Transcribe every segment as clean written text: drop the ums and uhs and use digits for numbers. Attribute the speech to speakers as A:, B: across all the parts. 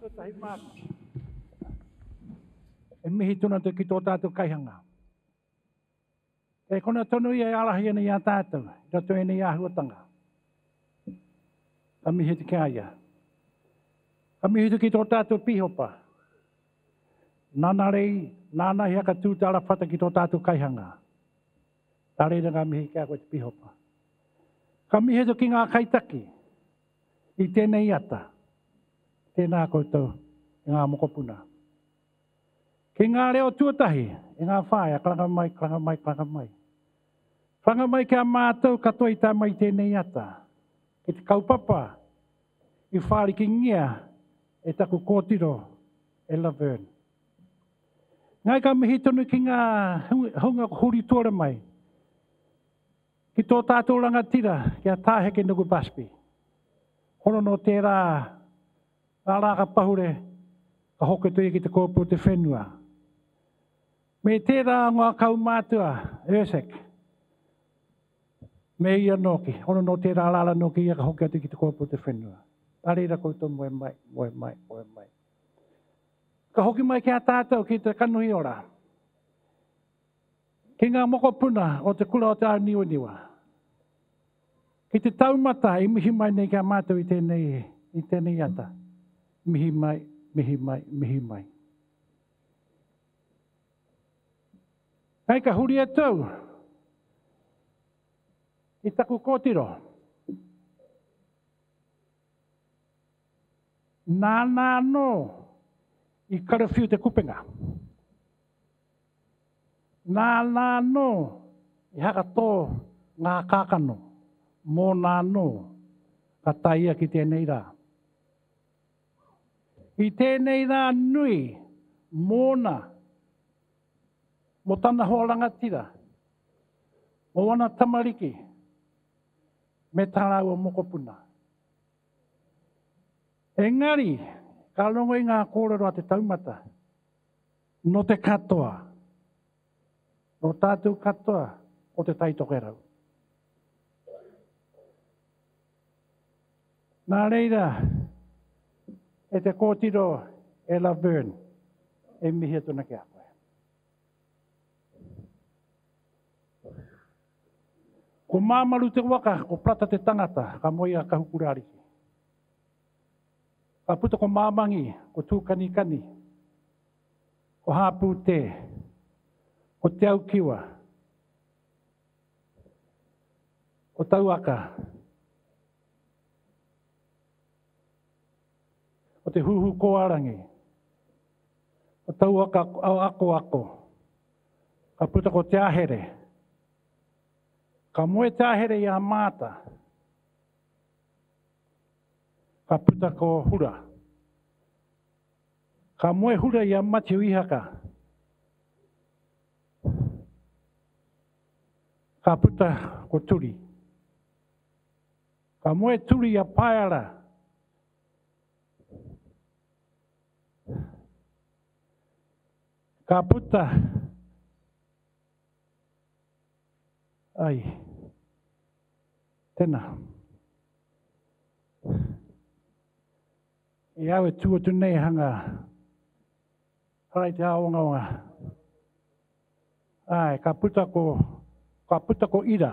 A: Tuatahi māku. E mihi tonu atu ki tō tātou kaihanga. Kei kona tonu ia e ārahi ana i a tātou, i roto i ēnei āhuatanga. Ka mihi atu ki a ia. Ka mihi atu ki tō tātou pīhopa. Nāna rei, nāna i hakatū te arawhata ki tō tātou kaihanga. Nā reira ngā mihi ki a koe te pīhopa. Ka mihi atu ki ngā kaitaki i tēnei ata. Tēnā koutou e ngā mokopuna. Ki ngā reo tuatahi, e ngā whaea, karanga mai, karanga mai, karanga mai. Karanga mai ki a mātou katoa i tae mai i tēnei ata, ki te kaupapa i whārikingia e taku kōtiro e Laverne. Ngai ka mihi tonu ki ngā hunga huri tuara mai, ki tō tātou rangatira, ki a Tā Hekenuku Busby. Hono nō tērā Ngā rā ka pahure, ka hoki atu ia ki te kōpū o te whenua. Me tērā o ngā kaumātua, Ursek, me ia nōki, hono nō tērā rā nōki ia ka hoki atu ki te kōpū o te whenua. Nā reira koutou moe mai, moe mai, moe mai. Ka hoki mai ki a tātou ki te kanohi ora. Ki ngā mokopuna o te kura o te Āniwaniwa. Ki te taumata i mihi mai nei ki a mātou i tēnei, i tēnei ata. Mihi mai, mihi mai, mihi mai. Hei ka huri atu au i taku kōtiro. Nāna anō i karawhiu te kupenga. Nāna anō i hakatō ngā kākano, mōna anō ka tae ia ki tēnei rā. I tēnei rā nui mōna, mō tana hoa rangatira, mō ana tamariki, me tā rāua mokopuna. Engari, ka rongo i ngā kōrero a te taumata, Nō te katoa, nō tātou katoa o Te Tai Tokerau. Nā reira, e te kōtiro e Laverne, e mihi atu ana ki a koe. Ko Māmaru te waka, ko Plata te tangata, ka moe a Kahukuraariki. Ka puta ko Māmangi, ko Tūkanikani, ko Hāpūtē, ko Te Aukiwa, ko Tauaka, ko Te Huhu-kōarangi, ko Tauaka Akoako, ka puta ko Te Ahere. Ka moe Te Ahere i a Maata. Ka puta ko Hura. Ka moe Hura i a Matiu Ihaka. Ka puta ko Turi. Ka moe Turi i a Paeara. Ka puta ai. Tena. I au e tū atu nei hanga harai te āongaonga. Āe, ka puta ko, ka puta ko Ira.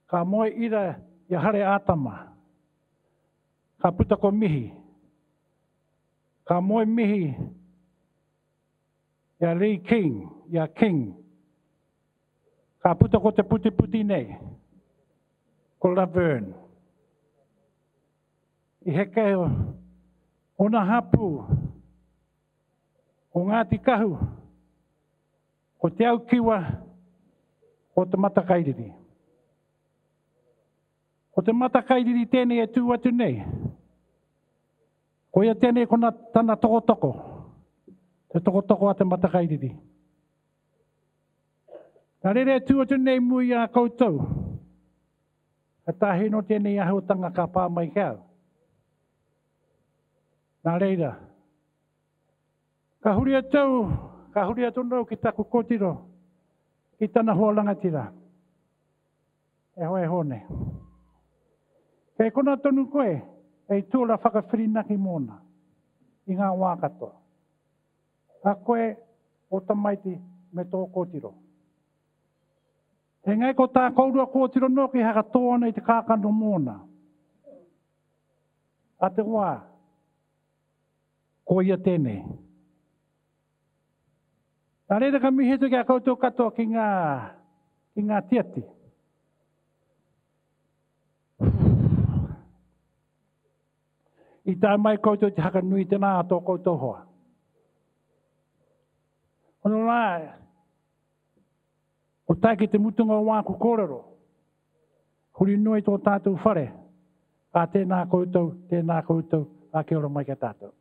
A: Ka moe Ira i a Hare Ātama. Ka puta ko Mihi. Ka moe Mihi i a Lee King, i a King. Ka puta ko te putiputi nei, ko Laverne. I heke ōna hapū, ko Ngāti Kahu, ko Te Aukiwa, ko Te Matakairiri. Ko Te Matakairiri tēnei e tū atu nei. Koia tēnei kona tana tokotoko, te tokotoko a Te Matakairiri. Ka rere atu atu nei mua i a koutou. Ka tāhei nō tēnei āhuatanga ka pā mai ki au. Nā reira, ka huri atu au, ka huri atu nō ki taku kōtiro, ki tana hoa rangatira. E hoa e Hōne. Kei kona tonu koe, hei tōra whakawhirinaki mōna. i ngā wā katoa. A koe, ō tamaiti, me tō kōtiro. Engari ko tā kourua kōtiro nōki e hakatō ana i te kākano mōna. A te wā, ko ia tēnei. Nā reira ka mihi atu ki a koutou katoa ki ngā, ki ngā tiati. I tae mai koutou te haka nui tēnā a tō koutou hoa. Hono rā, ko tae ki te mutunga o wāku kōrero, huri noa i tō tātou whare, ā tēnā koutou, tēnā koutou, ā kia ora mai ki a tātou.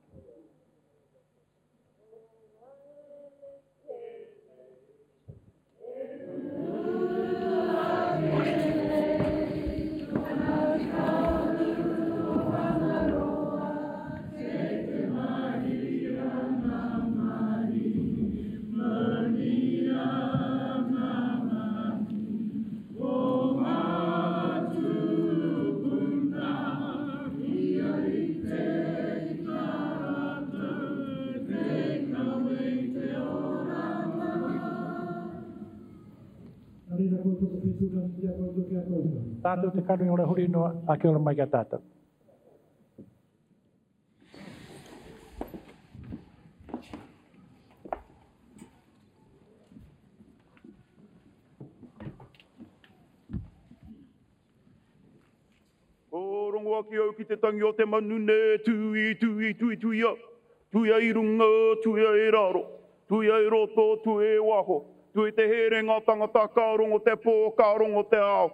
A: Tātou te kanohi ora huri noa, a kia ora mai ki a tātou.
B: Ko rongo ake au ki te tangi o te manu ne, tui, tui, tui, tuia. Tuia i runga, tuia i raro. Tuia i roto, tuia i waho. Tui te herenga tangata, ka rongo te pō, ka rongo te ao.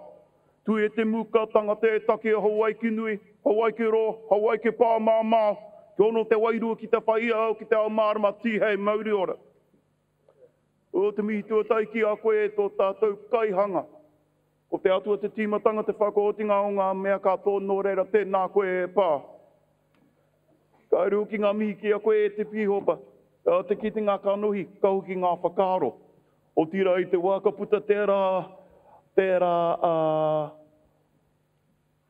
B: Tui te muka tangata e take a Hawaiki nui, Hawaiki roa, Hawaiki pāmamao. Kia ono te wairua ki te whai ao, ki te ao mārama, tīhei mauri ora. O te mihi tuatahi ki a koe e tō tātou kaihanga. Ko te Atua te tīmatanga, te whakaotinga o ngā mea katoa, nō reira tēnā koe e pā. Ka uru ki ngā mihi ki a koe e te Pīhopa, te kitenga kanohi, ka hoki ngā whakaaro. Otirā i te wā ka puta tērā, tērā, ā,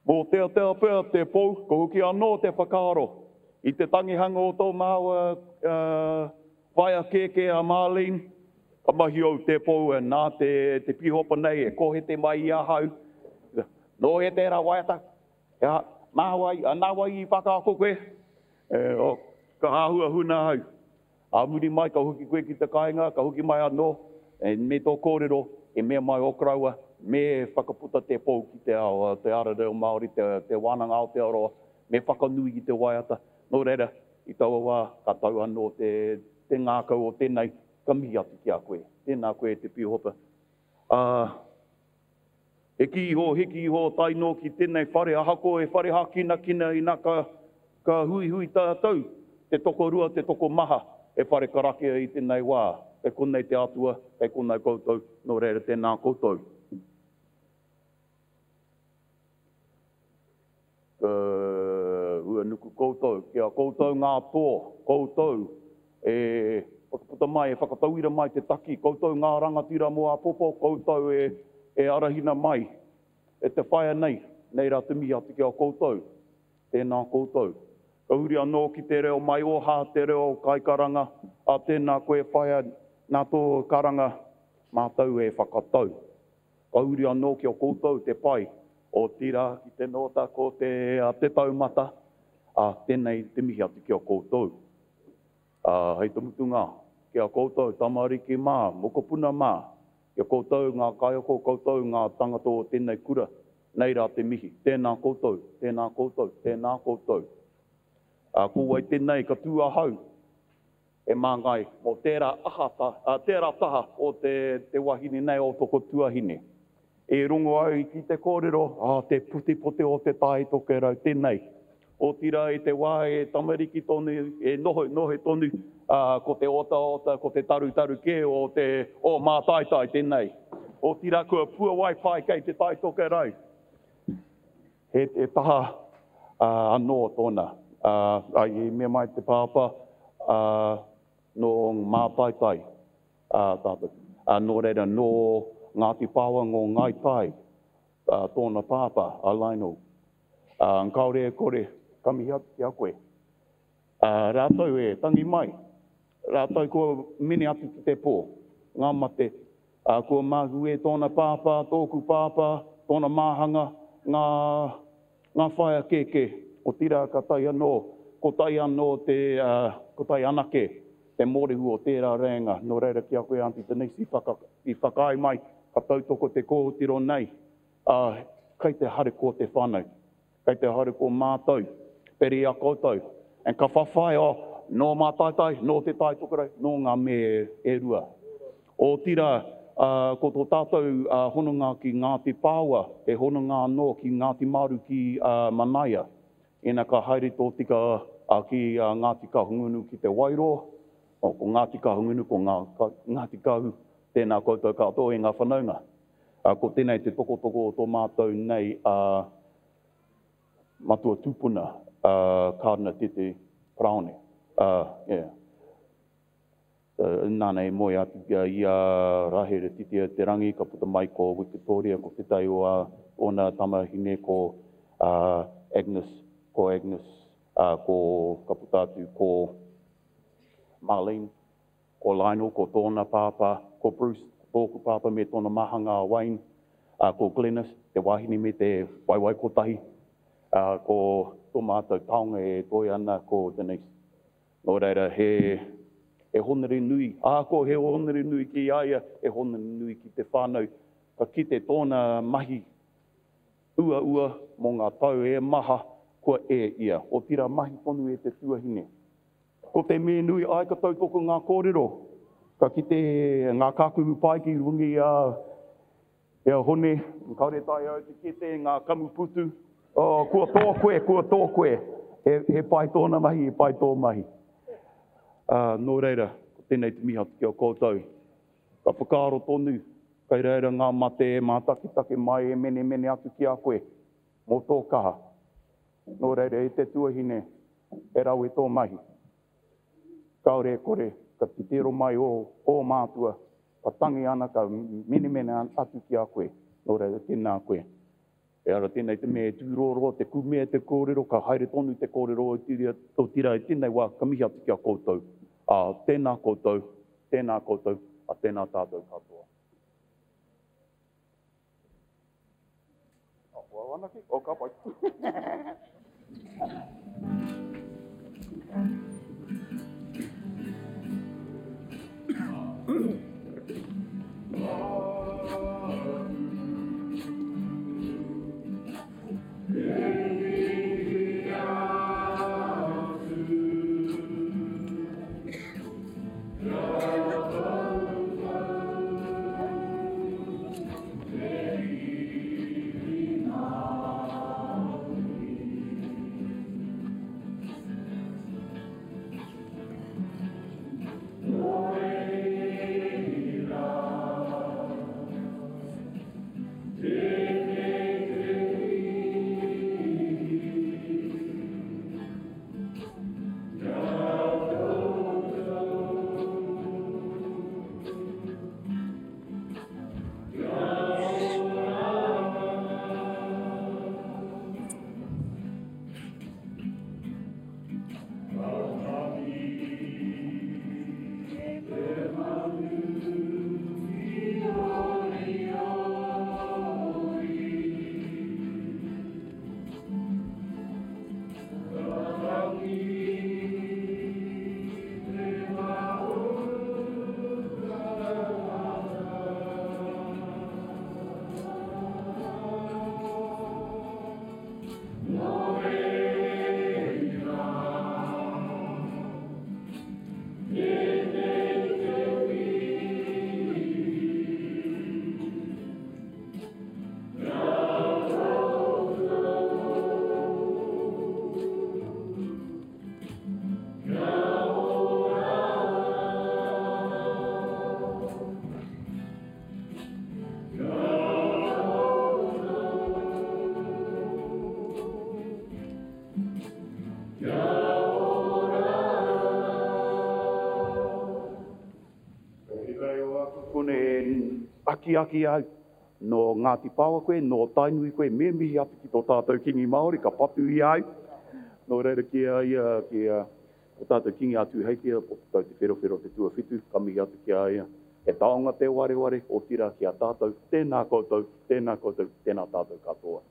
B: Mōteatea pea te pou, ka hoki anō te whakaaro i te tangihanga o tō māua whaea kēkē a Marlene, ka mahi au te pou nā te pīhopa nei e kohete mai i ahau, nō hea tērā waiata, he aha, mā wai, nā wai i whakaako koe? Ka āhua huna ahau. Ā muri mai ka hoki koe ki te kāinga, ka hoki mai anō, me tō kōrero, e mea mai ō koroua, me whakaputa te pou ki te ao, te ara reo Māori, te wānanga Aotearoa, me whakanui i te waiata. Nō reira, i taua wā, ka tau anō te ngākau o tēnei, ka mihi atu ki a koe. Tēnā koe e te Pīhopa. Ā, Hiki iho, hiki iho tae noa ki tenei whare, ahakoa he whare hakinakina ina ka, ka huihui tatou, te tokorua, te tokomaha, he whare karakia i tenei wā. Kei konei te Atua, kei konei koutou, no reira tēnā koutou. Ka huanuku koutou, ki a koutou ngā toa, koutou e whakaputa mai, e whakatauira mai te taki, koutou ngā rangatira mō āpōpō, koutou e arahina mai e te whaea nei, nei rā te mihi atu ki a koutou, tēnā koutou. Ka huri anō ki te reo maioha, te reo kaikaranga, ā, tēnā koe whaea, nā tō karanga mātou e whakatau. Ka uri anō ki a koutou te pai, otirā ki te nōta ko te, te taumata, ā, tēnei te mihi atu ki a koutou. Ā, hei te mutunga, ki a koutou tamariki mā, mokopuna mā, ki a koutou ngā kaiako, koutou ngā tangata o tēnei kura, nei rā te mihi, tēnā koutou, tēnā koutou, tēnā koutou. Ā, ko wai tēnei ka tū ahau? He māngai mō tērā aha, tērā taha o te, te wahine nei o toko tuahine. E rongo au ki te kōrero, ah, te putipote o te Tai Tokerau tēnei. Otirā i te wā e tamariki tonu, e noho, noho tonu, ā, ko te otaota, ko te tarutaru kē o te, o Mātaitai tēnei. Otirā kua puawai pai kei te Tai Tokerau. He taha anō tōna. I mea mai te pāpā, nō Mātaitai tātou. Nō reira, nō Ngāti Pāoa, nō Ngāi Tai tōna pāpā, a Lionel. Kāore e kore, ka mihi atu ki a koe. Rātou e tangi mai, rātou kua mene atu ki te pō, ngā mate, ā, kua mahue tōna pāpā, tōku pāpā, tōna māhanga, ngā, ngā whaea kēkē, otirā ka tae anō, ko tae anō te, ā, ko tae anake te mōrehu o tērā rēnga. Nō reira ki a koe Aunty Denise i whaka, i whakaae mai, ka tautoko te kōtiro nei, ā, kei te harikoa te whānau. Kei te haere ko mātou, peri a koutou, and ka whawhai, oh, nō Mātaitai, nō Te Tai Tokerau, nō ngā me e rua. Otirā, ko tō tātou hononga ki Ngāti Pāoa, he hononga anō ki Ngāti Maru ki Manaia. Ina ka haere tō tika ki Ngāti Kahungunu ki Te Wairoa, oh, ko Ngāti Kahungunu, ko Ngāti Kahu, tēnā koutou katoa e ngā whanaunga. Ko tēnei te tokotoko o tō mātou nei matua tupuna, Kārdina Tete Paraone. Yeah. Nāna i moe atu i a Rahera Titia Te Rangi, ka puta mai ko Wikitoria, ko tētahi o ōna tamahine ko Agnes, ko Agnes, ko, ka puta atu ko Marlene. Ko Lionel, ko tōna pāpā, ko Bruce, ko tōku pāpā me tōna mahanga a Wayne, ā, ko Glenys, te wahine me te waewae kotahi, ā, ko tō mātou taonga e toe ana ko Denise. Nō reira, he, he hōnore nui, ahakoa he hōnore nui ki a ia, he hōnore nui ki te whānau, ka kite tōna mahi uaua mō ngā tau e maha kua e ia, otirā mahi tonu e te tuahine. Ko te mea nui, āe ka tautoko ngā kōrero, ka kite ngā kākuhu pai ki runga i a i a Hone, kāore taea au te kite ngā kamuputu, oh, kua tō koe, kua tō koe, he, he pai tōna mahi, he pai tō mahi. Uh, nō reira, ko tēnei te mihi atu ki a koutou. Ka whakaaro tonu, kei reira ngā mate e mātakitake mai e menemene atu ki a koe, mō tō kaha. Nō reira, e te tuahine, he rawe tō mahi. Kāore e kore, ka titiro mai ō, ō mātua, ka tangi ana, ka menemene atu ki a koe. Nō reira, tēnā koe. Ehara tēnei te mea e tūrōroa te kumea te kōrero, ka haere tonu te kōrero otirā i tēnei wā, ka mihi atu ki a koutou. Ā, tēnā koutou, tēnā koutou, ā, tēnā tātou katoa. Oh, ko au anake? Oh, ka pai. Akiaki au, nō Ngāti Paoa koe, nō Tainui koe, me mihi atu ki tō tātou Kīngi Māori, ka patu i a au. Nō reira ki a ia, ki a. Ko tātou Kingi a Tūheitia, Potatau Te Wherowhero te tuawhitu, ka mihi atu ki a ia. He taonga te wareware, otirā ki a tātou, tēnā koutou, tēnā koutou, tēnā tātou katoa.